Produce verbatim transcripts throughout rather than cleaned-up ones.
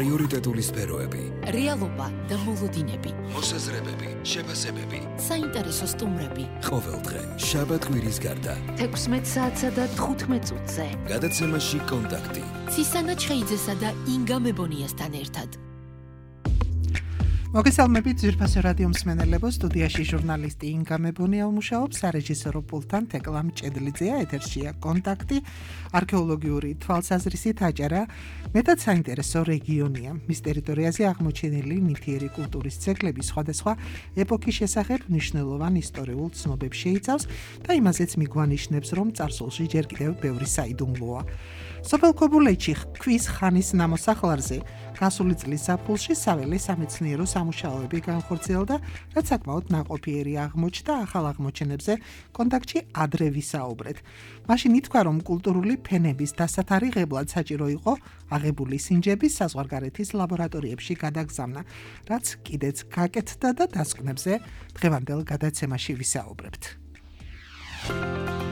პრიორიტეტული სფეროები, რეალობა და მოლოდინები, მოსაზრებები, შეფასებები, საინტერესო სტუმრები. ყოველდღე, შაბათ-კვირის გარდა, თექვსმეტ საათსა და თხუთმეტ წუთზე. გადაცემაში კონტაქტი. ცისანა ჩხეიძესა და ინგა მებონიასთან ერთად. მოგესალმებით ძვირფასო რადიო მსმენელებო, სტუდიაში ჟურნალისტი ინგა მებონია უმუშაობს, სარეჟისორო პულტთან თეკლა მჭედლიძეა, ეთერშია კონტაქტი, არქეოლოგიური თვალსაზრისით აჭარა მეტად საინტერესო რეგიონია. მის ტერიტორიაზე აღმოჩენილი ნივთიერი კულტურის ძეგლები სხვადასხვა ეპოქის შესახებ მნიშვნელოვან ისტორიულ ცნობებს შეიცავს და იმაზეც მიგვანიშნებს, რომ წარსულში ჯერ კიდევ ბევრი საიდუმლოა. სოფელ ქობულეთში ქვის ხანის ნამოსახლარზე გასული წლის ზაფხულში საველე სამეცნიერო სამუშაოები განხორციელდა, რაც საკმაოდ ნაყოფიერი აღმოჩნდა. ახალ აღმოჩენებზე კონტაქტში ადრე ვისაუბრეთ. მაშინ ითქვა, რომ კულტურული ფენების დასათარიღებლად საჭირო იყო აღებული სინჯების საზღვარგარეთის ლაბორატორიებში გადაგზავნა, რაც კიდეც გაკეთდა და დასკვნებზე დღევანდელ გადაცემაში ვისაუბრებთ.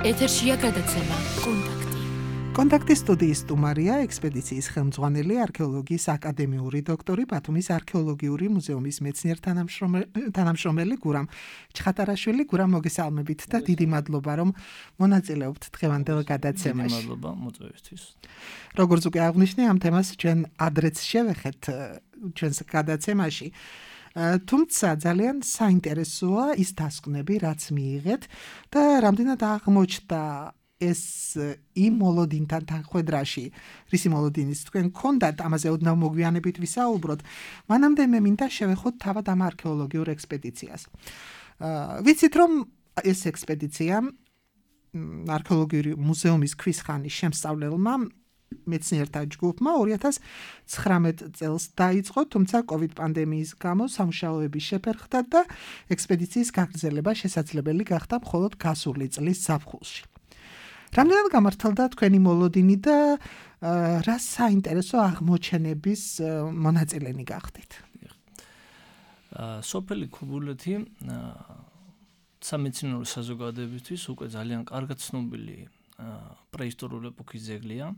ეთერშია გადაცემა კონტაქტი. კონტაქტის სტუდიის სტუმარია ექსპედიციის ხელმძღვანელი, არქეოლოგიის აკადემიური დოქტორი, ბათუმის არქეოლოგიური მუზეუმის მეცნიერ-თანამშრომელი გურამ ჩხატარაშვილი. გურამ, მოგესალმებით და დიდი მადლობა, რომ მონაწილეობთ დღევანდელ გადაცემაში. დიდი მადლობა მოწვევისთვის. როგორც უკვე აღნიშნე, ამ თემას ჩვენ ადრეც შევეხეთ ჩვენს გადაცემაში. თუმცა ძალიან საინტერესოა ის დასკვნები, რაც მიიღეთ და რამდენად აღმოჩნდა ეს იმ მოლოდინთან თანხვედრაში, რისი მოლოდინის თქვენ გქონდათ, ამაზე ოდნავ მოგვიანებით ვისაუბროთ. მანამდე მე მინდა შევეხოთ თავად ამ არქეოლოგიურ ექსპედიციას. ვიცით, რომ ეს ექსპედიცია არქეოლოგიური მუზეუმის ქვის ხანის შემსწავლელმა მეცნიერთა ჯგუფმა ორი ათას ცხრამეტ წელს დაიწყო, თუმცა კოვიდ პანდემიის გამო სამუშაოები შეფერხდა და ექსპედიციის გაგრძელება შესაძლებელი გახდა მხოლოდ გასული წლის ზაფხულში. რამდენად გამართლდა თქვენი მოლოდინი და რა საინტერესო აღმოჩენების მონაწილენი გახდით? სოფელი ქობულეთი სამეცნიერო საზოგადოებისთვის უკვე ძალიან კარგად ცნობილი პრეისტორიული ეპოქის ძეგლია.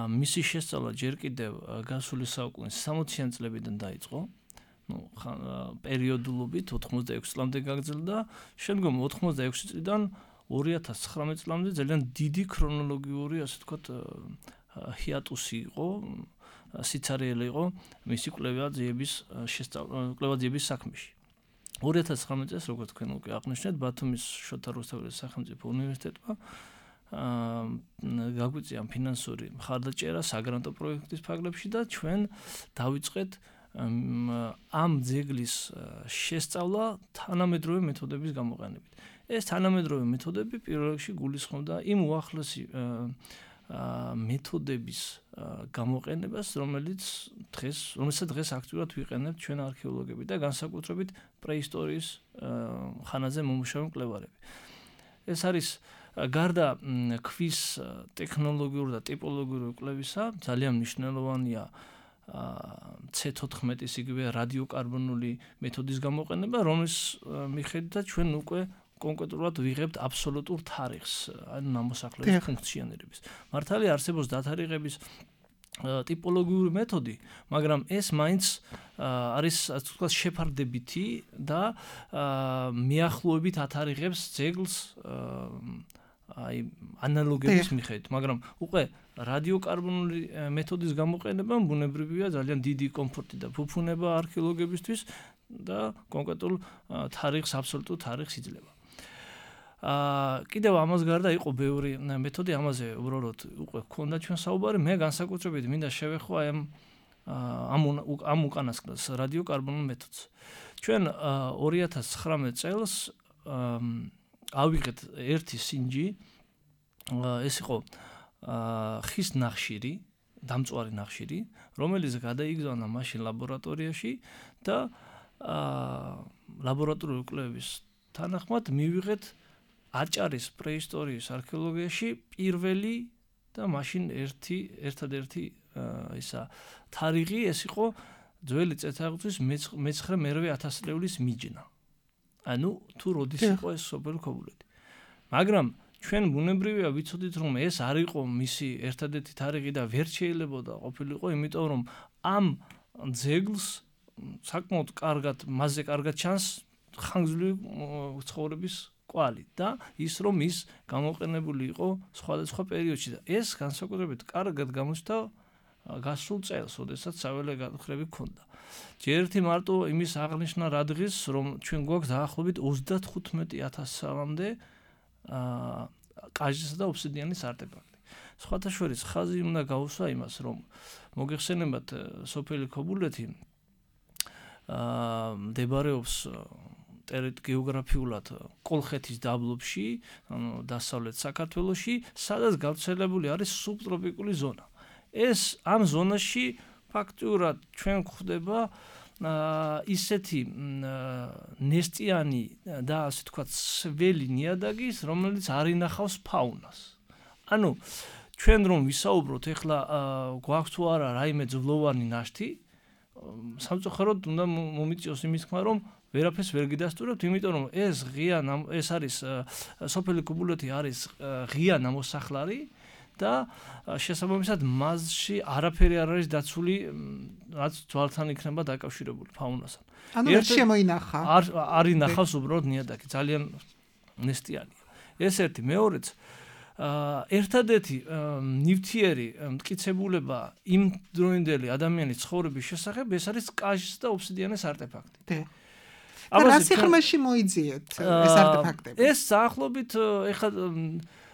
მისი შესწავლა ჯერ კიდევ გასული საუკუნის სამოციან წლებიდან დაიწყო. ნუ პერიოდულობით ოთხმოცდაექვსი წლამდე გაგრძელდა, შემდგომ ოთხმოცდაექვსი წლიდან ორი ათას ცხრამეტ წლამდე ძალიან დიდი ქრონოლოგიური, ასე ვთქვათ, ჰიატუსი იყო, სიცარიელი იყო მისი კვლევა-ძიების შესწავლა, კვლევა-ძიების საქმეში. ორი ათას ცხრამეტ წელს, როგორც თქვენ უკვე აღნიშნეთ, ბათუმის შოთა რუსთაველის სახელმწიფო უნივერსიტეტმა გაგვიწია ფინანსური მხარდაჭერა საგრანტო პროექტის ფარგლებში და ჩვენ დავიწყეთ ამ ძეგლის შესწავლა თანამედროვე მეთოდების გამოყენებით. ეს თანამედროვე მეთოდები პირველ რიგში გულისხმობდა იმ უახლესი მეთოდების გამოყენებას, რომელიც დღეს, რომელსაც დღეს აქტიურად ვიყენებთ ჩვენ არქეოლოგები და განსაკუთრებით პრეისტორიის ხანაზე მომუშავე მკვლევარები. ეს არის გარდა ქვის ტექნოლოგიური და ტიპოლოგიური კვლევისა, ძალიან მნიშვნელოვანია ცე თოთხმეტის იგივე რადიოკარბონული მეთოდის გამოყენება, რომლის მიხედვითაც ჩვენ უკვე კონკრეტულად ვიღებთ აბსოლუტურ თარიღს, ანუ ნამოსახლარის ფუნქციონირების. მართალია არსებობს დათარიღების ტიპოლოგიური მეთოდი, მაგრამ ეს მაინც არის, ასე ვთქვათ, შეფარდებითი და მიახლოებით ათარიღებს ძეგლს აი ანალოგების მიხედვით, მაგრამ უკვე რადიოკარბონული მეთოდის გამოყენებამ ბუნებრივია ძალიან დიდი კომფორტი და ფუფუნება არქეოლოგებისთვის და კონკრეტულ თარიღს, აბსოლუტურ თარიღს იძლევა. აა კიდევ ამას გარდა იყო ბევრი მეთოდი, ამაზე უბრალოდ უკვე გქონდა ჩვენ საუბარი. მე განსაკუთრებით მინდა შევეხო აი ამ ამ უკანასკნელს რადიოკარბონულ მეთოდს. ჩვენ ორი ათას ცხრამეტ წელს ავიღეთ ერთი სინჯი, ეს იყო ხის ნახშირი, დამწვარი ნახშირი, რომელიც გადაიგზავნა მაშინ ლაბორატორიაში და ლაბორატორიული კვლევის თანახმად მივიღეთ აჭარის პრეისტორიის არქეოლოგიაში პირველი და მაშინ ერთი ერთადერთი ისა თარიღი, ეს იყო ძველი წელთაღრიცხვის მეცხრე მერვე ათასწლეულის მიჯნა. ანუ თუ როდის იყო ეს სოფელი ქობულეთი. მაგრამ ჩვენ ბუნებრივია ვიცოდით რომ ეს არ იყო მისი ერთადერთი თარიღი და ვერ შეიძლებოდა ყოფილიყო, იმიტომ რომ ამ ძეგლს საკმაოდ კარგად მასზე კარგად ჩანს ხანგრძლივი ცხოვრების კვალი და ის რომ ის გამოყენებული იყო სხვადასხვა პერიოდში და ეს განსაკუთრებით კარგად გამოჩნდა გასულ წელს, როდესაც საველე გადახრები ჰქონდა. ჯერ ერთი მარტო იმის აღნიშნა რა დღის, რომ ჩვენ გვაქვს დაახლოებით ოცდათხუთმეტი ათას წლამდე კაჟისა და ობსიდიანის არტეფაქტი. სხვათა შორის ხაზი უნდა გაუსვა იმას, რომ მოგეხსენებათ სოფელი ქობულეთი მდებარეობს გეოგრაფიულად კოლხეთის დაბლობში, ანუ დასავლეთ საქართველოში, სადაც გავრცელებული არის სუბტროპიკული ზონა. ეს ამ ზონაში ფაქტურად ჩვენ გვხვდება ისეთი ნესტიანი და ასე თქვათ სველი ნიადაგის, რომელიც არ ინახავს ფაუნას. ანუ ჩვენ რომ ვისაუბროთ ეხლა გვაქვს თუ არა რაიმე ძვლოვანი ნაშთი, სამწუხაროდ უნდა მომიწიოს იმის თქმა, რომ ვერაფერს ვერ გიდასტურებთ, იმიტომ რომ ეს ღია ეს არის სოფელი ქობულეთი არის ღია ნამოსახლარი და შესაბამისად მასში არაფერი არ არის დაცული, რაც ძვალთან იქნება დაკავშირებული ფაუნასთან. ანუ ვერ შემოინახა. არ არ ინახავს უბრალოდ ნიადაგი, ძალიან ნესტიანია. ეს ერთი, მეორეც ერთადერთი ნივთიერი მტკიცებულება იმ დროინდელი ადამიანის ცხოვრების შესახებ ეს არის კაჟის და ობსიდიანის არტეფაქტი. რა სიღრმეში მოიძიეთ ეს არტეფაქტები? ეს საახლობით ეხლა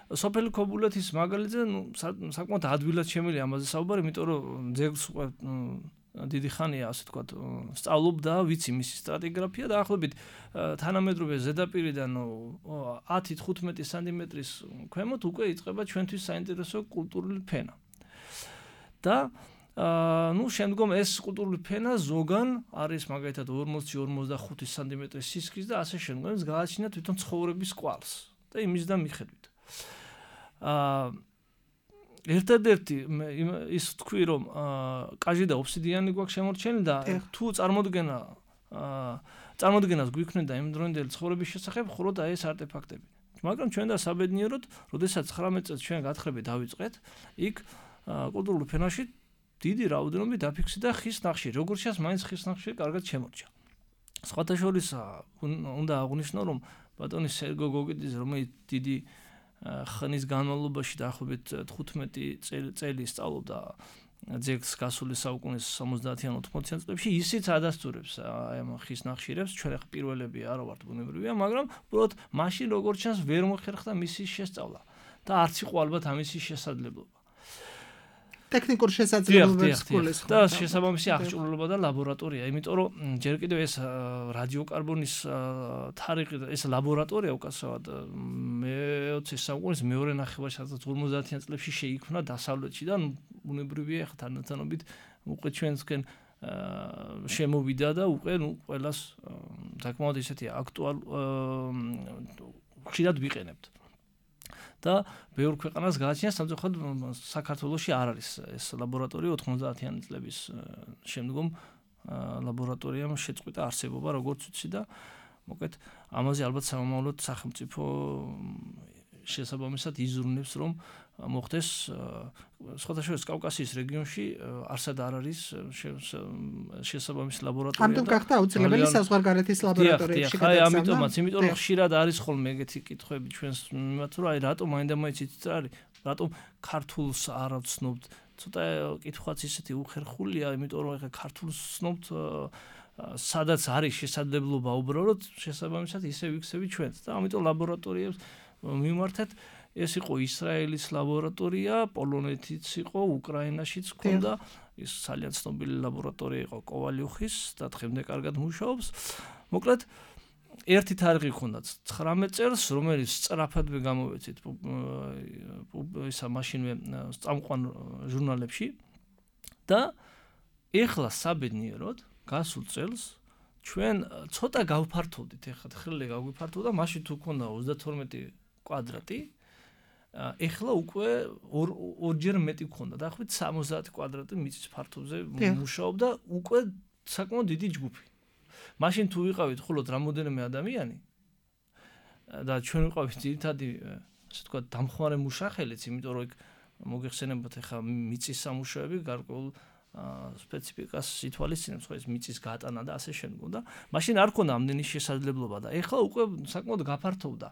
სოფელი ქობულეთის მაგალითზე საკმაოდ ადვილად შემიძლია ამაზე საუბარი, იმიტომ რომ ძეგლს დიდი ხანია ასე თქვათ სწავლობდა, ვიცი მისი სტრატიგრაფია და ახლობით თანამედროვე ზედაპირიდან ათი თხუთმეტი სანტიმეტრის ქვემოთ უკვე იწყება ჩვენთვის საინტერესო კულტურული ფენა. და ну შემდგომ ეს კულტურული ფენა ზოგან არის მაგალითად ორმოცი ორმოცდახუთი სანტიმეტრის სისქის და ასე შემდგომ ეს გააჩნია თვითონ ცხოვრების კვალს და იმისდან მიხედვით. აა ერთადერთი ის თქვი რომ კაჟი და ობსიდიანი გვაქვს შემორჩენილი და თუ წარმოდგენა წარმოდგენას გვიქმნიდა იმ დროინდელი ცხოვრების შესახებ მხოლოდ აი ეს არტეფაქტები. მაგრამ ჩვენ და საბედნიეროდ, როდესაც ცხრამეტ წელს ჩვენ გათხრები დავიწყეთ, იქ კულტურულ ფენაში დიდი რაოდენობით დაფიქსირდა ხის ნახშირი, როგორც ჩანს, მაინც ხის ნახშირი კარგად შემორჩა. სხვათა შორის უნდა აღვნიშნო, რომ ბატონი სერგო გოგიძე, რომელიც დიდი ხნის განმავლობაში დაახლოებით თხუთმეტი წელი სწავლობდა ძეგლს გასული საუკუნის სამოცდაათიან ოთხმოციან წლებში, ისიც ადასტურებს აი ამ ხის ნახშირებს, ჩვენ ახლა პირველები არ ვართ ბუნებრივია, მაგრამ უბრალოდ მაშინ როგორც ჩანს ვერ მოხერხდა მისი შესწავლა და არც იყო ალბათ ამისი შესაძლებლობა. ტექნიკურ შესაძლებლობებს გულისხმობს და შესაბამისი აღჭურვილობა და ლაბორატორია, იმიტომ რომ ჯერ კიდევ ეს რადიოკარბონის თარიღი ეს ლაბორატორია უკაცრავად მეოცე საუკუნის მეორე ნახევარში, სადაც ორმოცდაათიან წლებში შეიქმნა დასავლეთში და ბუნებრივია ახლა თანათანობით უკვე ჩვენსკენ შემოვიდა და უკვე ნუ ყველას საკმაოდ ისეთი აქტუალ ხშირად ვიყენებთ. და ბევრ ქვეყანას გააჩნია, სამწუხაროდ საქართველოში არ არის ეს ლაბორატორია ოთხმოცდაათიანი წლების შემდგომ ლაბორატორიამ შეწყვიტა არსებობა, როგორც ვიცი და მოკლედ ამაზე ალბათ სამომავლოდ სახელმწიფო შესაბამისად იზრუნებს, რომ მოხდეს სხვათა შორის კავკასიის რეგიონში არსად არ არის შესაბამისი ლაბორატორია. ამიტომ გახდა აუცილებელი საზღვარგარეთის ლაბორატორიებში გადაგზავნა. აი, ამიტომაც, იმიტომ რომ ხშირად არის ხოლმე ეგეთი კითხვები ჩვენს მიმართ, რომ აი რატომ მაინდა-მაინც იცით რა არის, რატომ ქართულს არ ვცნობთ. ცოტა კითხვაც ისეთი უხერხულია, იმიტომ რომ ეხლა ქართულს ვცნობთ, სადაც არის შესაძლებლობა უბრალოდ შესაბამისად ისე ვიქცევით ჩვენც და ამიტომ ლაბორატორიებს მიმართეთ. ეს იყო ისრაელის ლაბორატორია, პოლონეთიც იყო, უკრაინაშიც ჰქონდა, ის ძალიან ცნობილი ლაბორატორია იყო კოვალიუხის და დღემდე კარგად მუშაობს. მოკლედ ერთი თარიღი ჰქონდა ცხრამეტ წელს, რომელიც სწრაფადვე გამოვეცით ისა მაშინვე წამყვან ჟურნალებში და ეხლა საბედნიეროდ გასულ წელს ჩვენ ცოტა გავფართოვდით, ეხლა ხრილი გავიფართოვდა, მაშინ თუ ჰქონდა ოცდათორმეტი კვადრატი, ეხლა უკვე ორჯერ მეტი გქონდა, დაახლოებით სამოცდაათი კვადრატი მიწის ფართობზე მუშაობდა უკვე საკმაოდ დიდი ჯგუფი. მაშინ თუ ვიყავით მხოლოდ რამოდენიმე ადამიანი და ჩვენ ვიყავით ძირითადი ასე ვთქვათ, დამხმარე მუშახელიც, იმიტომ რომ იქ მოგეხსენებათ ახლა მიწის სამუშაოები გარკვეულ სპეციფიკას ითვალისწინებს, ხო ეს მიწის გატანა და ასე შემდგომ და მაშინ არ ქონდა ამდენი შესაძლებლობა და ეხლა უკვე საკმაოდ გაფართოვდა.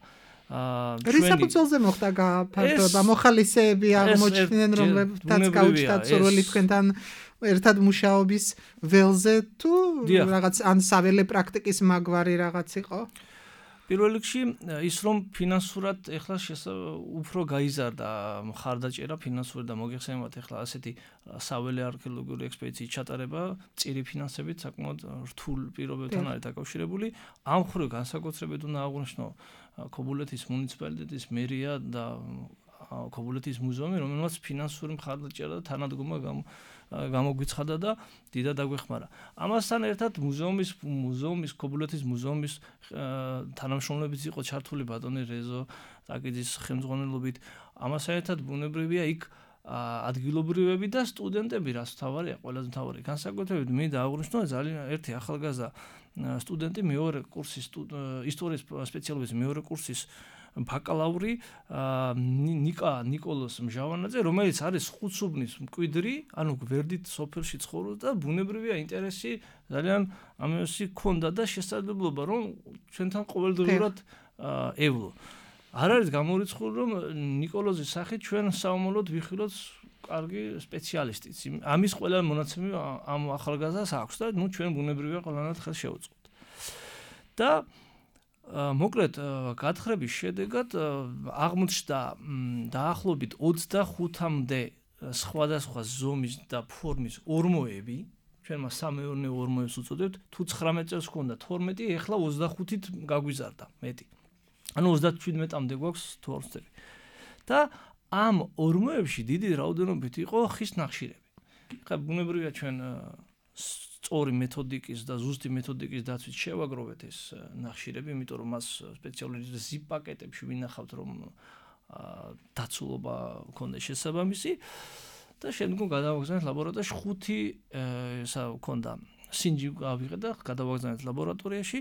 რის საფუძველზე მოხდა გაფართოვება? მოხალისეები აღმოჩნდნენ, რომლებთაც გაუჩნდათ სურვილი თქვენთან ერთად მუშაობის ველზე თუ რაღაც ან საველე პრაქტიკის მაგვარი რაღაც იყო? პირველ რიგში ის რომ ფინანსურად ეხლა უფრო გაიზარდა მხარდაჭერა ფინანსური და მოგეხსენებათ ეხლა ასეთი საველე არქეოლოგიური ექსპედიციის ჩატარება წირი ფინანსებით საკმაოდ რთულ პირობებთან არის დაკავშირებული. ამ მხრივ განსაკუთრებით უნდა აღვნიშნო ქობულეთის მუნიციპალიტეტის მერია და ქობულეთის მუზეუმი, რომელმაც ფინანსური მხარდაჭერა და თანადგომა გამოგვიცხადა და დიდად აგვეხმარა. ამასთან ერთად მუზეუმის მუზეუმის ქობულეთის მუზეუმის თანამშრომლებიც იყო ჩართული ბატონი რეზო ტაკიძის ხელმძღვანელობით. ამასთან ერთად ბუნებრივია იქ ადგილობრივები და სტუდენტები, რაც თავარია, ყველაზე თავარი. განსაკუთრებით მინდა აღვნიშნო ძალიან ერთი ახალგაზრდა სტუდენტი მეორე კურსის ისტორიის სპეციალობის მეორე კურსის ბაკალავრი ნიკა ნიკოლოს მჟავანაძე, რომელიც არის ხუთსუბნის მკვიდრი, ანუ გვერდით სოფელში ცხოვრობს და ბუნებრივია ინტერესი ძალიან ამასი ქონდა და შესაძლებლობა რომ ჩვენთან ყოველდღიურად ევლო. არ არის გამორიცხული რომ ნიკოლოზის სახით ჩვენ საომოლოდ ვიხილოთ კარგი სპეციალისტიც. ამის ყველა მონაცემი ამ ახალგაზრდას აქვს და ნუ ჩვენ ბუნებრივია ყველანაირად ხელს შევუწყოთ. და მოკლედ გათხრების შედეგად აღმოჩნდა დაახლოებით ოცდახუთამდე სხვადასხვა ზომის და ფორმის ორმოები, ჩვენ მას სამეურნეო ორმოებს უწოდებთ, თუ ცხრამეტ წელს ჰქონდა თორმეტი, ეხლა ოცდახუთით გაგვიზარდა მეტი. ანუ ოცდაჩვიდმეტამდე გვაქვს თუ არ ვცდები. და ამ ორმოებში დიდი რაოდენობით იყო ხის ნახშირები. ხა ბუნებრივია ჩვენ სწორი მეთოდიკის და ზუსტი მეთოდიკის დაცვით შევაგროვეთ ეს ნახშირები, იმიტომ რომ მას სპეციალური ზიპ პაკეტებში ვინახავთ, რომ დაცულობა ქონდეს შესაბამისი და შემდგომ გადავაგზავნეთ ლაბორატორიაში ხუთი ესა ქონდა სინჯი გავიღეთ და გადავაგზავნეთ ლაბორატორიაში.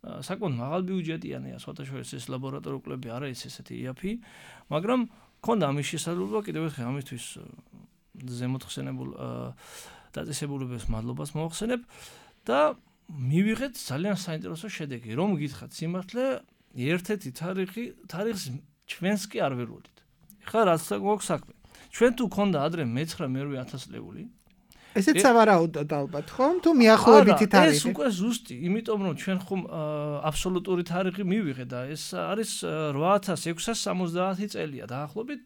საკმაოდ მაღალ ბიუჯეტიანია, სხვათა შორის ეს ლაბორატორიული კვლევები არ არის ესეთი იაფი, მაგრამ ქონდა ამის შესაძლებლობა კიდევ ერთხელ ამისთვის ზემოთხსენებულ დაწესებულებებს მადლობას მოვახსენებ და მივიღეთ ძალიან საინტერესო შედეგი. რომ გითხრათ სიმართლე, ერთ-ერთი თარიღი თარიღს ჩვენს კი არ ველოდით. ეხლა რაც გვაქვს საქმე. ჩვენ თუ ქონდა ადრე მეცხრე მერვე ათასლეული ესეც სავარაუდოდ ალბათ, ხომ? თუ მიახლოებითი თარიღი. ეს უკვე ზუსტი, იმიტომ რომ ჩვენ ხომ აბსოლუტური თარიღი მივიღეთ და ეს არის რვა ათას ექვსას სამოცდაათი წელია დაახლოებით,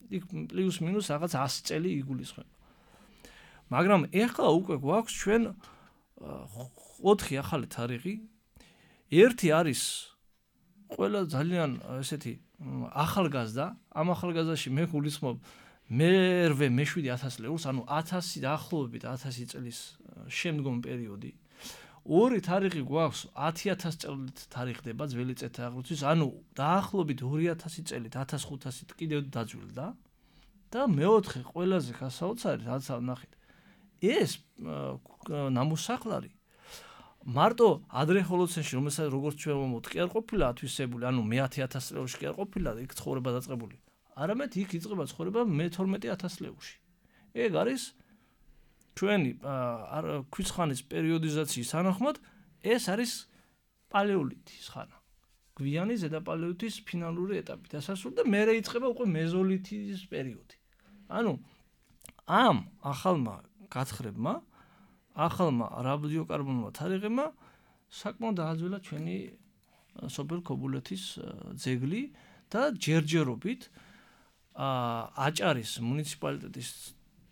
იქ პლუს მინუს რაღაც ასი წელი იგულისხმება. მაგრამ ეხლა უკვე გვაქვს ჩვენ ოთხი ახალი თარიღი. ერთი არის ყველა ძალიან ესეთი ახალგაზრდა, ამ ახალგაზრდაში მე გულისხმობ მერვე მეშვიდე ათასლეულს, ანუ ათასი დაახლოებით ათასი წლის შემდგომ პერიოდი. ორი თარიღი გვაქვს ათი ათას წელით თარიღდება ძველი წელთაღრიცხვის, ანუ დაახლოებით ორი ათასი წელით ათას ხუთასით კიდევ დაძველდა და მეოთხე ყველაზე გასაოცარი რაც ნახეთ. ეს ნამოსახლარი მარტო ადრე ჰოლოცენში, რომელსაც როგორც ჩვენ ვამბობთ, კი არ ყოფილა ათვისებული, ანუ მეათე ათასლეულში კი არ ყოფილა იქ ცხოვრება დაწყებული. არამედ იქ იწყება ცხოვრება მეთორმეტე ათასლეულში. ეგ არის ჩვენი ქვისხანის პერიოდიზაციის თანახმად, ეს არის პალეოლითის ხანა. გვიანი ზედაპალეოლითის ფინალური ეტაპი დასასრული და მერე იწყება უკვე მეზოლითის პერიოდი. ანუ ამ ახალმა გათხრებმა, ახალმა რადიოკარბონულმა თარიღებმა საკმაოდ დააძველა ჩვენი სოფელ ქობულეთის ძეგლი და ჯერჯერობით აჭარის მუნიციპალიტეტის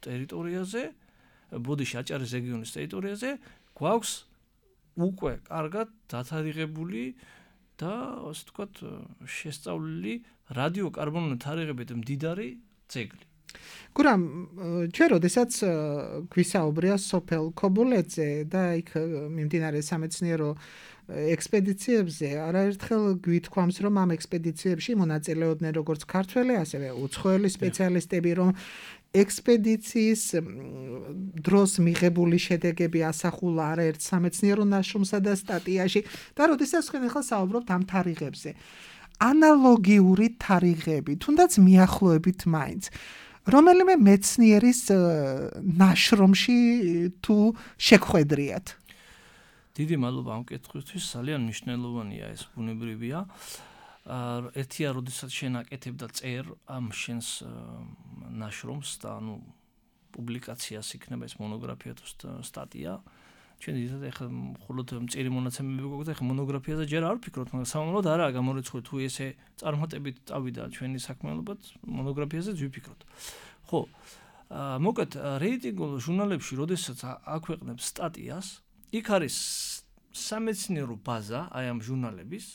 ტერიტორიაზე, ბოდიში აჭარის რეგიონის ტერიტორიაზე გვაქვს უკვე კარგად დათარიღებული და ასე ვთქვათ შესწავლილი რადიოკარბონული თარიღებით მდიდარი ძეგლი. გურამ, ჩვენ როდესაც გვისაუბრია სოფელ ქობულეთზე და იქ მიმდინარე სამეცნიერო ექსპედიციებზე, არაერთხელ გვითქვამს, რომ ამ ექსპედიციებში მონაწილეობდნენ როგორც ქართველი, ასევე უცხოელი სპეციალისტები, რომ ექსპედიციის დროს მიღებული შედეგები ასახულა არაერთ სამეცნიერო ნაშრომსა და სტატიაში და როდესაც თქვენ ახლა საუბრობთ ამ თარიღებზე. ანალოგიური თარიღები, თუნდაც მიახლოებით მაინც. რომელიმე მეცნიერის ნაშრომში თუ შეგხვედრიათ? დიდი მადლობა ამ კითხვისთვის, ძალიან მნიშვნელოვანია ეს, ბუნებრივია. ერთია, როდესაც შენ აკეთებ და წერ ამ შენს ნაშრომს და ანუ პუბლიკაციას იქნება ეს მონოგრაფია თუ სტატია. ჩვენ დიდად ეხლა მხოლოდ მწირი მონაცემები გვაქვს და ეხლა მონოგრაფიაზე ჯერ არ ვფიქრობთ, მაგრამ სამომავლოდ არაა გამორიცხული თუ ესე წარმატებით წავიდა ჩვენი საქმიანობაც, მონოგრაფიაზეც ვიფიქროთ. ხო, მოკეთ რეიტინგულ ჟურნალებში, როდესაც აქვეყნებს სტატიას, იქ არის სამეცნიერო ბაზა აი ამ ჟურნალების,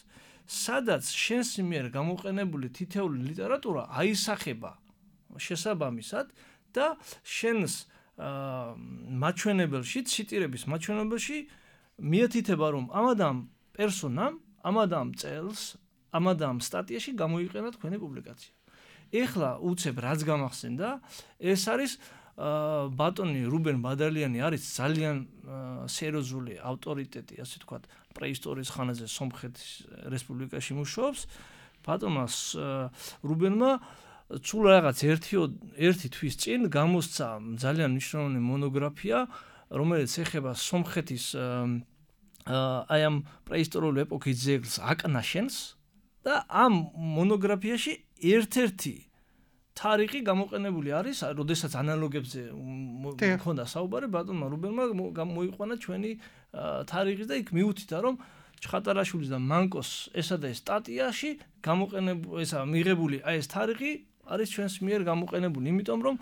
სადაც შენს მიერ გამოყენებული თითეული ლიტერატურა აისახება შესაბამისად და შენს მაჩვენებელში, ციტირების მაჩვენებელში მიეთითება, რომ ამადამ პერსონამ, ამადამ წელს, ამადამ სტატიაში გამოიყენა თქვენი პუბლიკაცია. ეხლა უცებ რაც გამახსენდა, ეს არის ბატონი რუბენ ბადალიანი არის ძალიან სერიოზული ავტორიტეტი, ასე ვთქვათ, პრეისტორიის ხანაზე სომხეთის რესპუბლიკაში მუშაობს. ბატონმა რუბენმა სულ რაღაც ერთი ერთი თვის წინ გამოსცა ძალიან მნიშვნელოვანი მონოგრაფია, რომელიც ეხება სომხეთის აი ამ პრეისტორიული ეპოქის ძეგლს აკნაშენს და ამ მონოგრაფიაში ერთ-ერთი თარიღი გამოყენებული არის, როდესაც ანალოგებზე მქონდა საუბარი, ბატონმა რუბენმა მოიყვანა ჩვენი თარიღი და იქ მიუთითა, რომ ჩხატარაშვილის და მანკოს ესა და ეს სტატიაში გამოყენებული ესა მიღებული აი ეს თარიღი არის ჩვენს მიერ გამოყენებული, იმიტომ რომ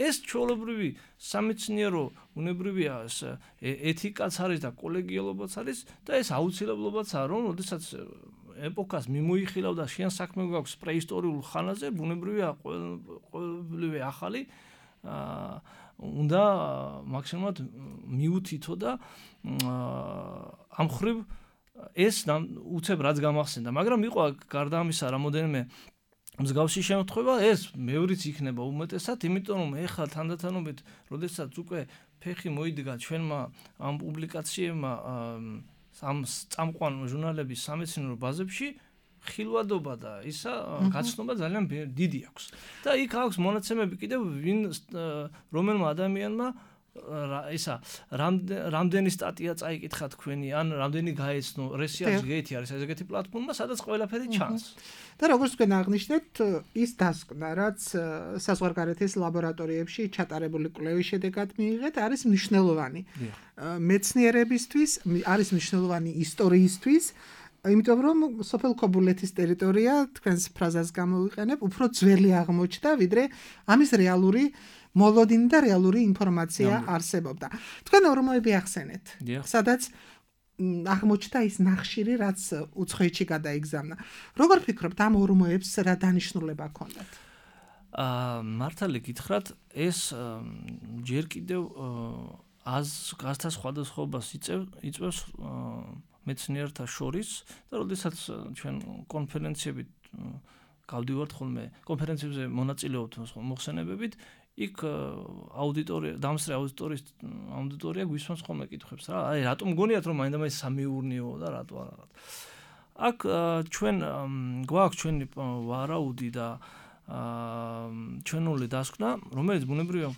ეს ჩვეულებრივი სამეცნიერო უნებრივია, ეს ეთიკაც არის და კოლეგიალობაც არის და ეს აუცილებლობაცაა, რომ როდესაც ეპოქას მიმოიხილავ და შენ საქმე გვაქვს პრეისტორიულ ხანაზე, ბუნებრივია ყოველივე ახალი უნდა მაქსიმუმად მიუთითო და ამ ხრივ ეს უცებ რაც გამახსენდა, მაგრამ იყო გარდა ამისა რამოდენიმე მსგავსი შემთხვევა, ეს მეორიც იქნება უმეტესად, იმიტომ რომ ეხლა თანდათანობით, როდესაც უკვე ფეხი მოიდგა ჩვენმა ამ პუბლიკაციებმა ამ წამყვან ჟურნალების სამეცნიერო ბაზებში, ხილვადობა და ისა გაცნობა ძალიან დიდი აქვს. და იქ აქვს მონაცემები კიდევ ვინ რომელმა ადამიანმა ისა რამდენი სტატია წაიკითხა თქვენი, ან რამდენი გაეცნო, Research Gate არის ესეთი პლატფორმა, სადაც ყველაფერი ჩანს. და როგორც თქვენ აღნიშნეთ, ის დასკვნა, რაც საზღვარგარეთის ლაბორატორიებში ჩატარებული კვლევის შედეგად მიიღეთ, არის მნიშვნელოვანი. მეცნიერებისთვის, არის მნიშვნელოვანი ისტორიისთვის, იმიტომ რომ სოფელ ქობულეთის ტერიტორია, თქვენს ფრაზას გამოვიყენებ, უფრო ძველი აღმოჩნდა, ვიდრე ამის რეალური მოლოდინი და რეალური ინფორმაცია არსებობდა. თქვენ ორმოები ახსენეთ, სადაც აღმოჩნდა ის ნახშირი, რაც უცხოეთში გადაიგზავნა. როგორ ფიქრობთ, ამ ორმოებს რა დანიშნულება ჰქონდათ? აა მართალი გითხრათ, ეს ჯერ კიდევ აზრთა სხვადასხვაობას იწვევს მეცნიერთა შორის და როდესაც ჩვენ კონფერენციებით გავდივართ ხოლმე, კონფერენციებზე მონაწილეობთ მოხსენებებით, იქ აუდიტორია, დამსწრე აუდიტორიის აუდიტორია გვისვამს ხოლმე კითხვებს რა, აი რატომ გონიათ რომ მაინდა-მაინც სამეურნეოა და რატო არა. აქ ჩვენ გვაქვს ჩვენი ვარაუდი და ჩვენული დასკვნა, რომელიც ბუნებრივია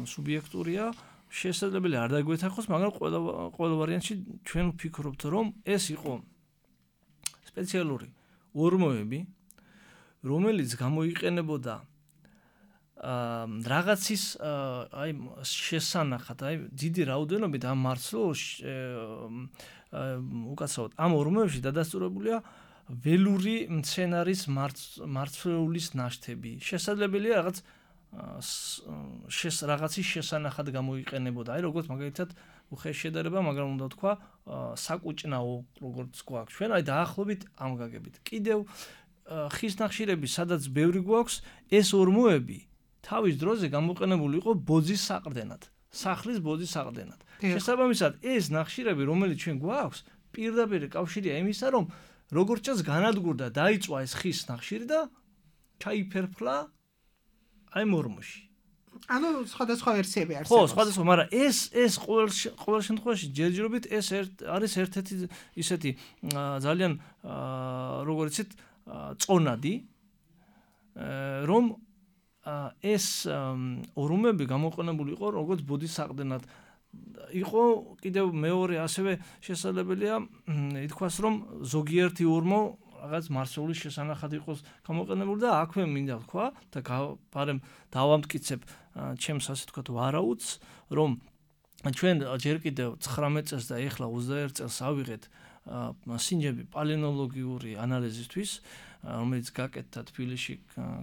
სუბიექტურია, შესაძლებელი არ დაგვეთანხმოს, მაგრამ ყველა ყველა ვარიანტში ჩვენ ვფიქრობთ, რომ ეს იყო სპეციალური ორმოები, რომელიც გამოიყენებოდა აა რაღაცის აი შესანახად, აი დიდი რაოდენობით ამ მარცვლეულში უკაცრავად ამ ორმოებში დადასტურებულია ველური მცენარის მარცვლეულის ნაშთები. შესაძლებელია რაღაც შეს რაღაცის შესანახად გამოიყენებოდა. აი როგორც მაგალითად უხეშ შედარება, მაგრამ უნდა თქვა საკუჭნაო, როგორც გვაქვს ჩვენ, აი დაახლოებით ამ გაგებით. კიდევ ხის ნახშირები, სადაც ბევრი გვაქვს, ეს ორმოები თავის დროზე გამოყენებული იყო ბოძის საყრდენად, სახლის ბოძის საყრდენად. შესაბამისად, ეს ნახშირები, რომელიც ჩვენ გვაქვს, პირდაპირ კავშირია იმისა, რომ როგორც ჩანს განადგურდა, დაიწვა ეს ხის ნახშირი და ჩაიფერფლა აი ორმოში. ანუ სხვადასხვა ვერსიები არსებობს. ხო, სხვადასხვა, მაგრამ ეს ეს ყოველ ყოველ შემთხვევაში ჯერჯერობით ეს არის ერთ-ერთი ისეთი ძალიან როგორ იცით წონადი რომ ეს ორუმები გამოყენებული იყო როგორც ბოდისაყრდენად იყო კიდევ მეორე ასევე შესაძლებელია ითქვას რომ ზოგიერთი ორმო რაღაც მარსეულის შესანახად იყოს გამოყენებული და აქვე მინდა თქვა და ბარემ დავამტკიცებ ჩემს ასე თქვა ვარაუდს რომ ჩვენ ჯერ კიდევ ცხრამეტ წელს და ეხლა ოცდაერთ წელს ავიღეთ სინჯები პალეონოლოგიური ანალიზისთვის რომელიც გაკეთდა თბილისში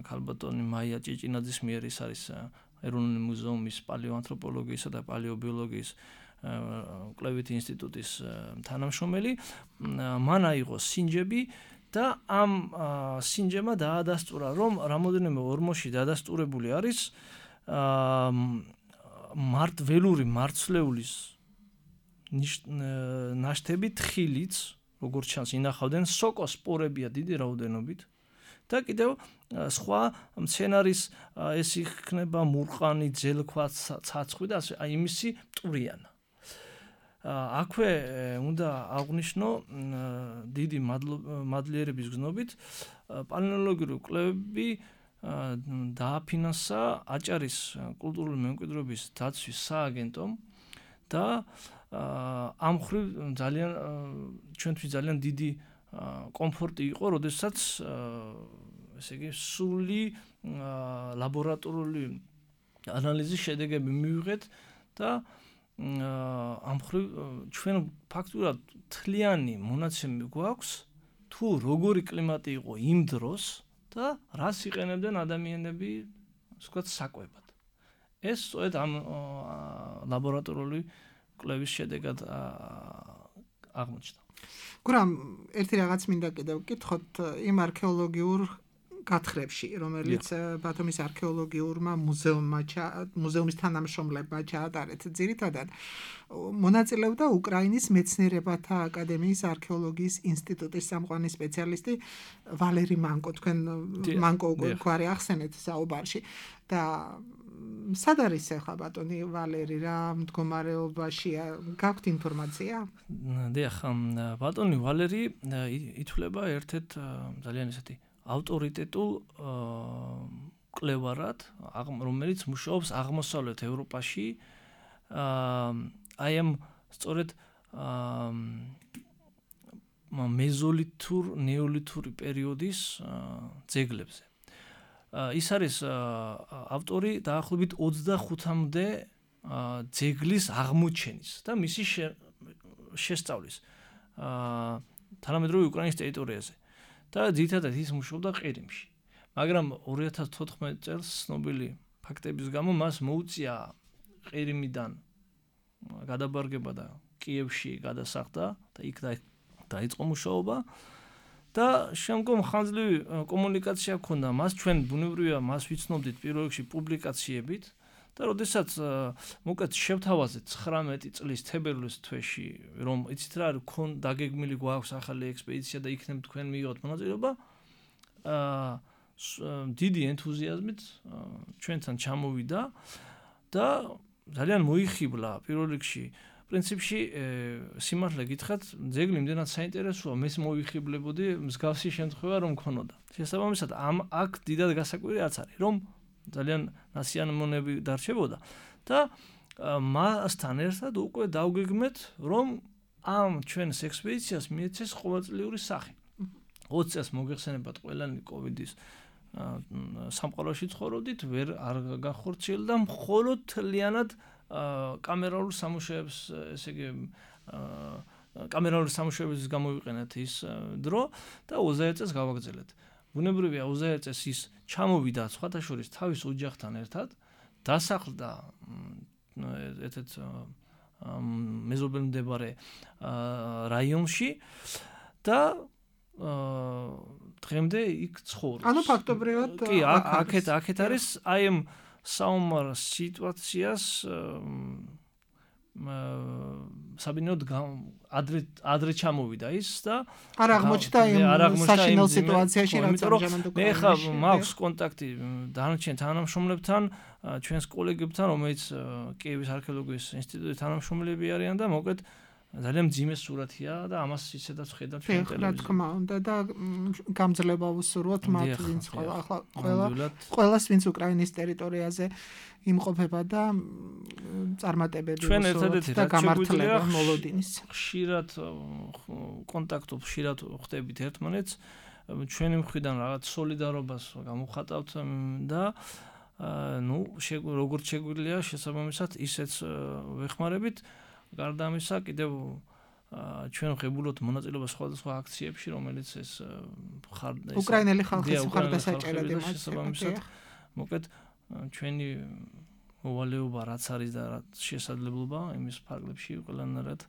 ქალბატონი მაია ჭიჭინაძის მიერ ის არის ეროვნული მუზეუმის პალეოანთროპოლოგიისა და პალეობიოლოგიის კვლევითი ინსტიტუტის თანამშრომელი მან აიღო სინჯები და ამ სინჯებმა დაადასტურა რომ რამოდენიმე ორმოში დადასტურებული არის მართ ველური მარცვლეულის ნაშთები თხილიც როგორც ჩანს ინახავდნენ სოკოსპორებია დიდი რაოდენობით და კიდევ სხვა მცენარის ეს იქნება მურყანი ძელქვა ცაცხვი და ასე აი იმისი მტვრიანა აქვე უნდა აღვნიშნო დიდი მადლიერების გზნობით პალეონოლოგიური კვლევები დააფინანსა აჭარის კულტურული მემკვიდრეობის დაცვის სააგენტომ და ამ მხრივ ძალიან ჩვენთვის ძალიან დიდი კომფორტი იყო, როდესაც ესე იგი სული ლაბორატორიული ანალიზის შედეგები მივიღეთ და ამ მხრივ ჩვენ ფაქტურად თლიანი მონაცემი გვაქვს თუ როგორი კლიმატი იყო იმ დროს და რას იყენებდნენ ადამიანები ვთქვათ საკვებად. ეს სწორედ ამ ლაბორატორიული კვლევის შედეგად აღმოჩნდა. გურამ, ერთი რაღაც მინდა კიდევ ვკითხოთ იმ არქეოლოგიურ გათხრებში, რომელიც ბათუმის არქეოლოგიურმა მუზეუმმა მუზეუმის თანამშრომლებმა ჩაატარეთ. ძირითადად მონაწილეობდა უკრაინის მეცნიერებათა აკადემიის არქეოლოგიის ინსტიტუტის სამყარო სპეციალისტი ვალერი მანკო. თქვენ მანკო უკვე გვარი ახსენეთ საუბარში და სად არის ახლა ბატონი ვალერი რა მდგომარეობაშია? გაქვთ ინფორმაცია? დიახ, ბატონი ვალერი ითვლება ერთ-ერთ ძალიან ესეთი ავტორიტეტულ კვლევარად, რომელიც მუშაობს აღმოსავლეთ ევროპაში, აი ამ სწორედ მეზოლითურ, ნეოლითური პერიოდის ძეგლებზე. ის არის ავტორი დაახლოებით ოცდახუთამდე ძეგლის აღმოჩენის და მისი შესწავლის თანამედროვე უკრაინის ტერიტორიაზე. და ძირითადად ის მუშაობდა ყირიმში. მაგრამ ორი ათას თოთხმეტ წელს ცნობილი ფაქტების გამო მას მოუწია ყირიმიდან გადაბარგება და კიევში გადასახლდა და იქ დაიწყო მუშაობა და შემდგომ ხანძლივი კომუნიკაცია ჰქონდა მას. ჩვენ ბუნებრივია მას ვიცნობდით პირველ რიგში პუბლიკაციებით და როდესაც მოკლედ შევთავაზეთ ცხრამეტი წლის თებერვლის თვეში რომ იცით რა არის ქონ დაგეგმილი გვაქვს ახალი ექსპედიცია და იქნებ თქვენ მიიღოთ მონაწილეობა დიდი ენთუზიაზმით ჩვენთან ჩამოვიდა და ძალიან მოიხიბლა პირველ რიგში პრინციპში სიმართლე გითხრათ ძეგლი იმდენად საინტერესოა მეს მოიხიბლებოდი მსგავსი შემთხვევა რომ ქონოდა. შესაბამისად ამ აქ დიდად გასაკვირი არც არის რომ ძალიან ნასიამონები დარჩებოდა და მასთან ერთად უკვე დავგეგმეთ რომ ამ ჩვენს ექსპედიციას მიეცეს ყოველწლიური სახე. ოცი წელს მოგეხსენებათ ყველანი კოვიდის სამყაროში ცხოვრობდით, ვერ არ გახორციელდა მხოლოდ თლიანად კამერალურ სამუშაოებს, ესე იგი კამერალური სამუშაოების გამოვიყენეთ ის დრო და ოცდაერთ წელს გავაგრძელეთ. ბუნებრივია ოცდაერთ წელს ის ჩამოვიდა სხვათა შორის თავის ოჯახთან ერთად, დასახლდა ერთ-ერთ მეზობელ მდებარე რაიონში და დღემდე იქ ცხოვრობს. ანუ ფაქტობრივად კი, აქეთ აქეთ არის აი ამ საომარ სიტუაციას საბინოდ ადრე ადრე ჩამოვიდა ის და არ აღმოჩნდა იმ საშინელ სიტუაციაში რაც ამჟამად უკვე. მე ხა მაქვს კონტაქტი დანარჩენ თანამშრომლებთან, ჩვენს კოლეგებთან, რომელიც კიევის არქეოლოგიის ინსტიტუტის თანამშრომლები არიან და მოკლედ ძალიან მძიმე სურათია და ამას ისედაც ხედავთ ჩვენ ტელევიზიაში. რა თქმა უნდა და გამძლეობა ვუსურვოთ მათ ვინც ახლა ყველა ყველას ვინც უკრაინის ტერიტორიაზე იმყოფება და წარმატებები ვუსურვოთ და გამართლება მოლოდინის. ხშირად კონტაქტობ ხშირად ხდებით ერთმანეთს ჩვენი მხრიდან რაღაც სოლიდარობას გამოვხატავთ და ნუ როგორც შეგვიძლია შესაბამისად ისეც ვეხმარებით. გარდა ამისა კიდევ ჩვენ ღებულობთ მონაწილეობას სხვადასხვა აქციებში, რომელიც ეს უკრაინელი ხალხის მხარდასაჭერად შესაბამისად მოკეთ ჩვენი მოვალეობა რაც არის და რაც შესაძლებლობა იმის ფარგლებში ყველანაირად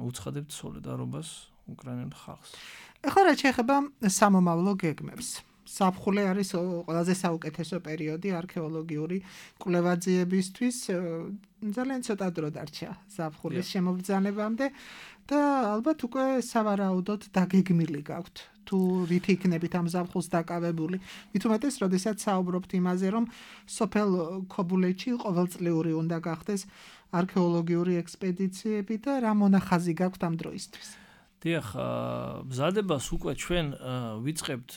უცხადებთ სოლიდარობას უკრაინელ ხალხს. ეხლა რაც შეეხება სამომავლო გეგმებს. საფხულე არის ყველაზე საუკეთესო პერიოდი არქეოლოგიური კვლევაძიებისთვის. ძალიან ცოტა დრო დარჩა საფხულის შემოგზანებამდე და ალბათ უკვე სავარაუდოდ დაგეგმილი გაქვთ თუ რით იქნებით ამ ზაფხულს დაკავებული. მით უმეტეს, როდესაც საუბრობთ იმაზე, რომ სოფელ ქობულეთში ყოველწლიური უნდა გახდეს არქეოლოგიური ექსპედიციები და რა მონახაზი გაქვთ ამ დროისთვის. დიახ, მზადებას უკვე ჩვენ ვიწყებთ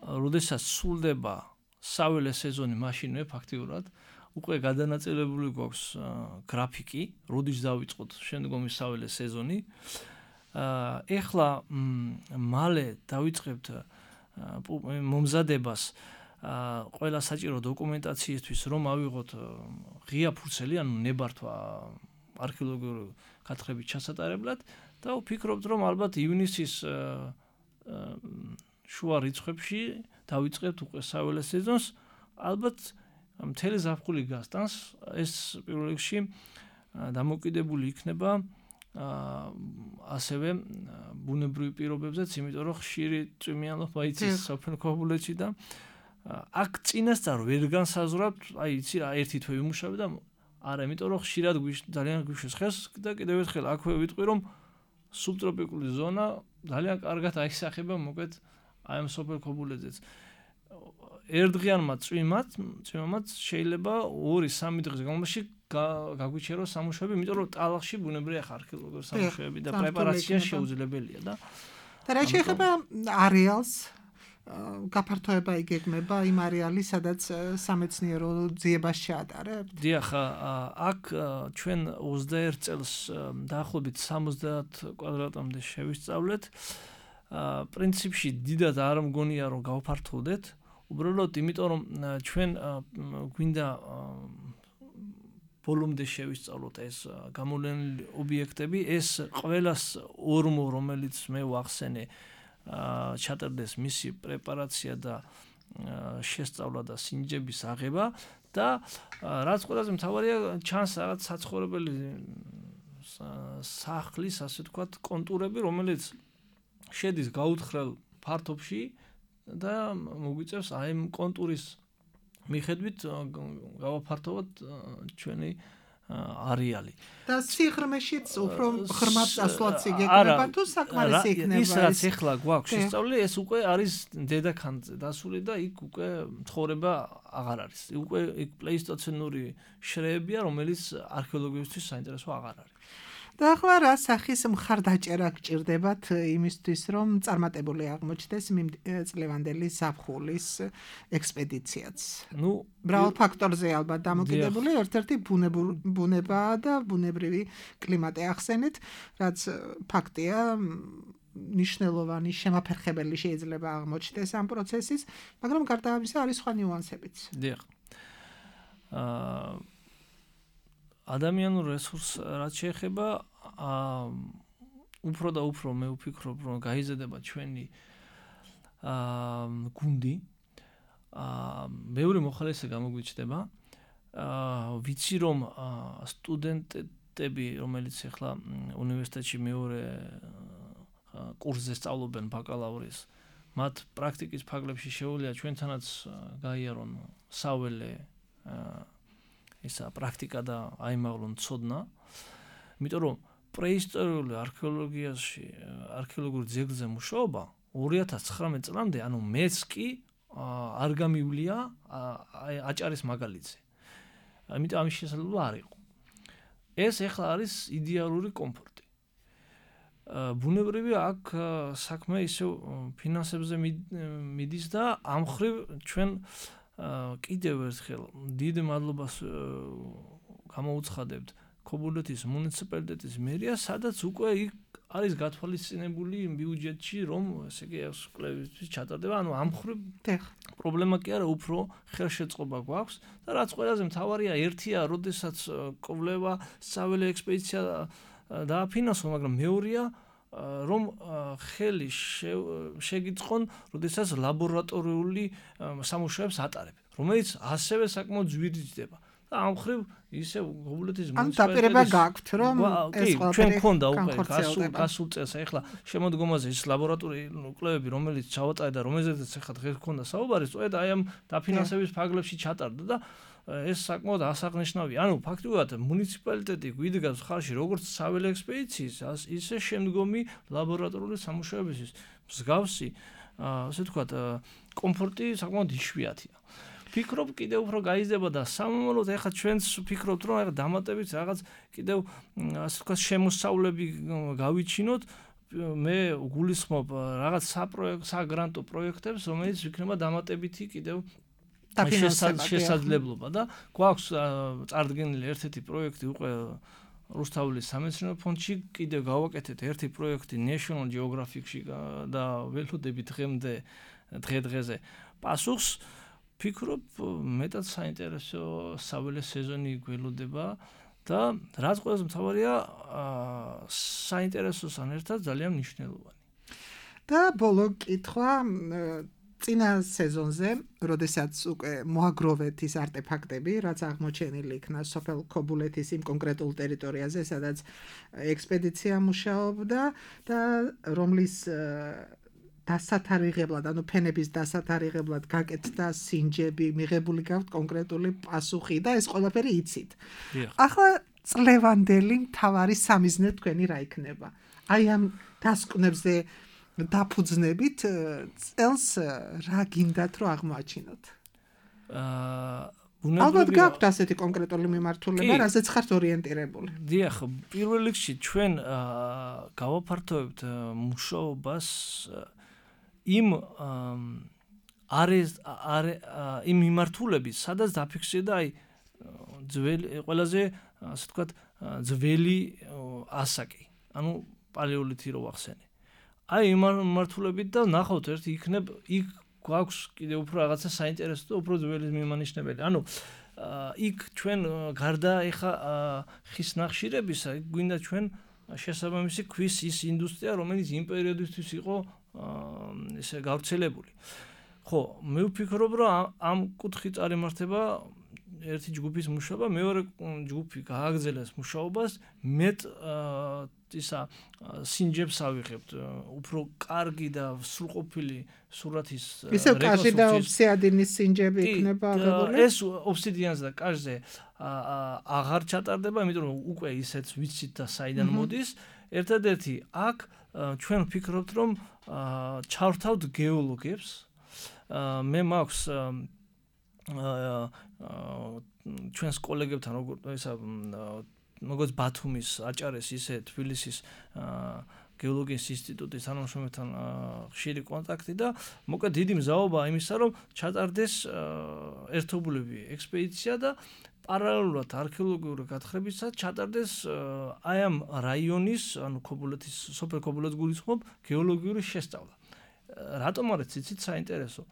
როდესაც სრულდება საველე სეზონი, მაშინვე ფაქტიურად უკვე გადანაწილებული გვაქვს გრაფიკი, როდის დავიწყოთ შემდგომი საველე სეზონი. ეხლა მალე დავიწყებთ მომზადებას ყველა საჭირო დოკუმენტაციისთვის, რომ ავიღოთ ღია ფურცელი, ანუ ნებართვა არქეოლოგიური გათხრებით ჩასატარებლად და ვფიქრობთ, რომ ალბათ ივნისის შუა რიცხვებში დავიწყებთ უკვე საველე სეზონს. ალბათ მთელი ზაფხული გასტანს. ეს პირველ რიგში დამოკიდებული იქნება ასევე ბუნებრივი პირობებზეც, იმიტომ რომ ხშირი წვიმიანობა იცის სოფელ ქობულეთში და აქ წინასწარ ვერ განსაზღვრავთ, აი იცი რა ერთი თვე ვიმუშავე და არა, იმიტომ რომ ხშირად ძალიან გვიშვეს ხეს და კიდევ ერთხელ აქვე ვიტყვი, რომ სუბტროპიკული ზონა ძალიან კარგად აისახება მოკეთ აი ამ სოფელ ქობულეთზეც. ერთდღიანმა წვიმად, წვიმად შეიძლება ორი სამი დღის განმავლობაში გაგვიჩეროს სამუშაოები, იმიტომ რომ ტალახში ბუნებრივია არქეოლოგიური სამუშაოები და პრეპარაცია შეუძლებელია და და რა შეეხება არეალს, გაფართოება იგეგმება იმ არეალის, სადაც სამეცნიერო ძიებას შეატარებთ? დიახ, აქ ჩვენ ოცდაერთ წელს დაახლოებით სამოცდაათ კვადრატამდე შევისწავლეთ. პრინციპში დიდად არ მგონია რომ გავფართოვდეთ. უბრალოდ იმიტომ რომ ჩვენ გვინდა ბოლომდე შევისწავლოთ ეს გამოვლენილი ობიექტები, ეს ყველას ორმო, რომელიც მე ვახსენე, ჩატარდეს მისი პრეპარაცია და შესწავლა და სინჯების აღება და რაც ყველაზე მთავარია, ჩანს რაღაც საცხოვრებელი სახლის, ასე ვთქვათ, კონტურები, რომელიც შედის გაუთხრელ ფართობში და მოგვიწევს აი ამ კონტურის მიხედვით გავაფართოვოთ ჩვენი არეალი. და სიღრმეშიც უფრო ღრმად წასვლაც იგეგმება თუ საკმარისი იქნება ის? ის რაც ეხლა გვაქვს შესწავლილი, ეს უკვე არის დედაქანზე დასული და იქ უკვე ცხოვრება აღარ არის. უკვე იქ პლეისტოცენური შრეებია, რომელიც არქეოლოგიისთვის საინტერესო აღარ არის. და ახლა რა სახის მხარდაჭერა გჭირდებათ იმისთვის, რომ წარმატებული აღმოჩნდეს წლევანდელი ზაფხულის ექსპედიციაც? ნუ მრავალ ფაქტორზე ალბათ დამოკიდებული, ერთ-ერთი ბუნებაა და ბუნებრივი კლიმატი ახსენეთ, რაც ფაქტია, ნიშნულოვანი შემაფერხებელი შეიძლება აღმოჩნდეს ამ პროცესის, მაგრამ გარდა ამისა არის სხვა ნიუანსებიც. დიახ. აა ადამიანურ რესურსს რაც შეეხება, უფრო და უფრო მე ვფიქრობ, რომ გაიზრდება ჩვენი გუნდი. მეორე მოხალისე გამოგვიჩნდება. ვიცი რომ სტუდენტები, რომელიც ახლა უნივერსიტეტში მეორე კურსზე სწავლობენ ბაკალავრის, მათ პრაქტიკის ფარგლებში შეუძლია ჩვენთანაც გაიარონ საველე ისა პრაქტიკა და აიმაღლონ ცოდნა. იმიტომ რომ პრეისტორიული არქეოლოგიაში, არქეოლოგიურ ძეგლზე მუშაობა ორი ათას ცხრამეტ წლამდე, ანუ მეც კი არ გამივლია აჭარის მაგალითზე. ამიტომ ამის შესაძლებლობა არ იყო. ეს ეხლა არის იდეალური კომფორტი. ბუნებრივია აქ საქმე ისე ფინანსებზე მიდის და ამ ხრივ ჩვენ კიდევ ერთხელ დიდ მადლობას გამოუცხადებთ ქობულეთის მუნიციპალიტეტის მერიას, სადაც უკვე იქ არის გათვალისწინებული ბიუჯეტში, რომ ესე იგი ეს კვლევითი ჩატარდება. ანუ ამ ხრივ პრობლემა კი არა, უფრო ხელშეწყობა გვაქვს და რაც ყველაზე მთავარია, ერთია, როდესაც კვლევა, საველე ექსპედიცია დააფინანსო, მაგრამ მეორეა, რომ ხელი შეგიწყონ, როდესაც ლაბორატორიული სამუშაოებს ატარებ, რომელიც ასევე საკმაოდ ძვირითდება. და ამ ხრივ ისე ქობულეთის მუნიციპალიტეტის ან დაპირება გაქვთ, რომ ეს ყველაფერი ჩვენ გქონდა უკვე გასულ გასულ წელს, ეხლა შემოდგომაზე ის ლაბორატორიული კვლევები, რომელიც ჩავატარე და რომელზეც ეხლა დღეს გქონდა საუბარი, სწორედ აი ამ დაფინანსების ფარგლებში ჩატარდა და ეს საკმაოდ ასაღნიშნავია. ანუ ფაქტობრივად მუნიციპალიტეტი გვიდგას ხალხში როგორც საველე ექსპედიციის, ისე შემდგომი ლაბორატორიული სამუშაოებისთვის მსგავსი, ასე ვთქვათ, კომფორტი საკმაოდ იშვიათია. ფიქრობ კიდევ უფრო გაიზრდება და სამომავლოდ ეხლა ჩვენს ფიქრობთ, რომ ეხლა დამატებით რაღაც კიდევ ასე ვთქვათ შემოსავლები გავიჩინოთ. მე გულისხმობ რაღაც საპროექტ საგრანტო პროექტებს, რომელიც იქნება დამატებითი კიდევ შესაძლებლობა და გვაქვს წარდგენილი ერთ-ერთი პროექტი უკვე რუსთაველის სამეცნიერო ფონდში, კიდევ გავაკეთეთ ერთი პროექტი National Geographic-ში და ველოდებით დღემდე დღე-დღეზე პასუხს. ფიქრობ, მეტად საინტერესო საველე სეზონი გველოდება და რაც ყველაზე მთავარია, საინტერესოსთან ერთად ძალიან მნიშვნელოვანი. და ბოლო კითხვა, წინა სეზონზე, როდესაც უკვე მოაგროვეთ ის არტეფაქტები, რაც აღმოჩენილი იქნა სოფელ ქობულეთის იმ კონკრეტულ ტერიტორიაზე, სადაც ექსპედიცია მუშაობდა და რომლის დასათარიღებლად, ანუ ფენების დასათარიღებლად გაკეთდა სინჯები, მიღებული გაქვთ კონკრეტული პასუხი და ეს ყველაფერი იცით. ახლა წლევანდელი მთავარი სამიზნე თქვენი რა იქნება? აი ამ დასკვნებზე დაფუძნებით წელს რა გინდათ რომ აღმოაჩინოთ? აა ალბათ გაქვთ ასეთი კონკრეტული მიმართულება, რაზეც ხართ ორიენტირებული. დიახ, პირველ რიგში ჩვენ გავაფართოვებთ მუშაობას იმ არის იმ მიმართულების, სადაც დაფიქსირდა აი ძველი ყველაზე ასე ვთქვათ ძველი ასაკი, ანუ პალეოლითი რო ვახსენე. აი იმ მიმართულებით და ნახავთ ერთი იქნებ იქ გვაქვს კიდევ უფრო რაღაცა საინტერესო და უფრო ძველი მიმანიშნებელი. ანუ იქ ჩვენ გარდა ეხა ხის ნახშირებისა, გვინდა ჩვენ შესაბამისი ქვის ის ინდუსტრია, რომელიც იმ პერიოდისთვის იყო ესე გავრცელებული. ხო, მე ვფიქრობ, რომ ამ კუთხით წარიმართება ერთი ჯგუფის მუშაობა, მეორე ჯგუფი გააგრძელებს მუშაობას, მეტ ისა სინჯებს ავიღებთ, უფრო კარგი და სრულყოფილი სურათის ისევ კაჟი და ობსიდიანის სინჯები იქნება აღებული? ეს ობსიდიანზე და კაჟზე აღარ ჩატარდება, იმიტომ რომ უკვე ისეც ვიცით და საიდან მოდის. ერთადერთი აქ ჩვენ ვფიქრობთ, რომ ჩავრთავთ გეოლოგებს. მე მაქვს ჩვენს კოლეგებთან ისა როგორც ბათუმის აჭარეს, ისე თბილისის გეოლოგიის ინსტიტუტის თანამშრომლებთან ხშირი კონტაქტი და მოკლედ დიდი მზაობაა იმისა, რომ ჩატარდეს ერთობლივი ექსპედიცია და პარალელურად არქეოლოგიური გათხრებისას ჩატარდეს აი ამ რაიონის, ანუ ქობულეთის სოფელ ქობულეთს გულისხმობ, გეოლოგიური შესწავლა. რატომ არის იცით საინტერესო?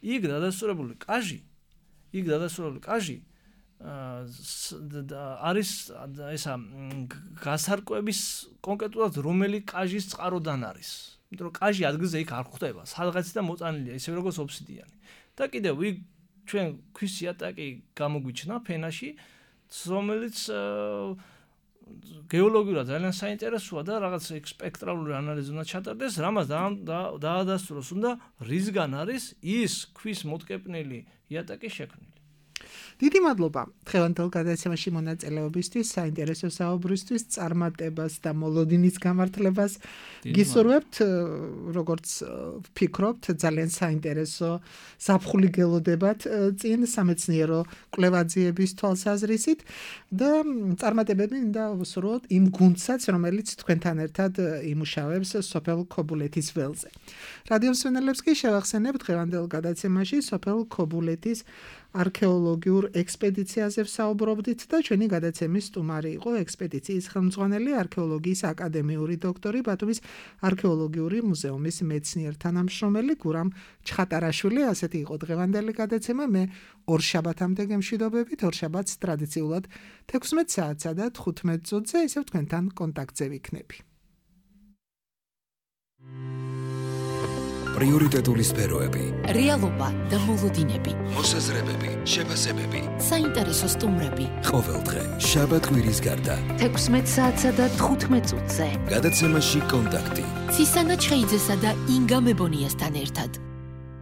იქ დადასტურებული კაჟი, იქ დადასტურებული კაჟი არის ესა გასარკვევის კონკრეტულად რომელი კაჟის წყაროდან არის. იმიტომ რომ კაჟი ადგილზე იქ არ ხვდება, სადღაციდან მოწანილია, ისე როგორც ობსიდიანი. და კიდევ იქ ჩვენ ქვის იატაკი გამოგვიჩნდა ფენაში, რომელიც გეოლოგიურად ძალიან საინტერესოა და რაღაც სპექტრალური ანალიზი უნდა ჩატარდეს, რამაც დაადასტუროს უნდა რისგან არის ის ქვის მოტკეპნელი იატაკი შექმნილი. დიდი მადლობა დღევანდელ გადაცემაში მონაწილეობისთვის, საინტერესო საუბრისთვის, წარმატებას და მოლოდინის გამართლებას. გისურვებთ, როგორც ვფიქრობთ, ძალიან საინტერესო ზაფხული გელოდებათ წინ სამეცნიერო კვლევაძიების თვალსაზრისით და წარმატებები მინდა ვუსურვოთ იმ გუნდსაც, რომელიც თქვენთან ერთად იმუშავებს სოფელ ქობულეთის ველზე. რადიო მსმენელებს კი შევახსენებ დღევანდელ გადაცემაში სოფელ ქობულეთის არქეოლოგიურ ექსპედიციაზე ვსაუბრობდით და ჩვენი გადაცემის სტუმარი იყო ექსპედიციის ხელმძღვანელი არქეოლოგიის აკადემიური დოქტორი ბათუმის არქეოლოგიური მუზეუმის მეცნიერ-თანამშრომელი გურამ ჩხატარაშვილი. ასეთი იყო დღევანდელი გადაცემა. მე ორშაბათამდე გემშვიდობებით. ორშაბათს ტრადიციულად თექვსმეტ საათსა და თხუთმეტ წუთზე ისევ თქვენთან კონტაქტზე ვიქნები. პრიორიტეტული სფეროები, რეალობა და მოლოდინები, მოსაზრებები, შეფასებები, საინტერესო სტუმრები. ყოველდღე შაბათ კვირის გარდა თექვსმეტ საათსა და თხუთმეტ წუთზე. გადაცემაში კონტაქტი. ცისანა ჩხეიძესა და ინგა მებონიასთან ერთად.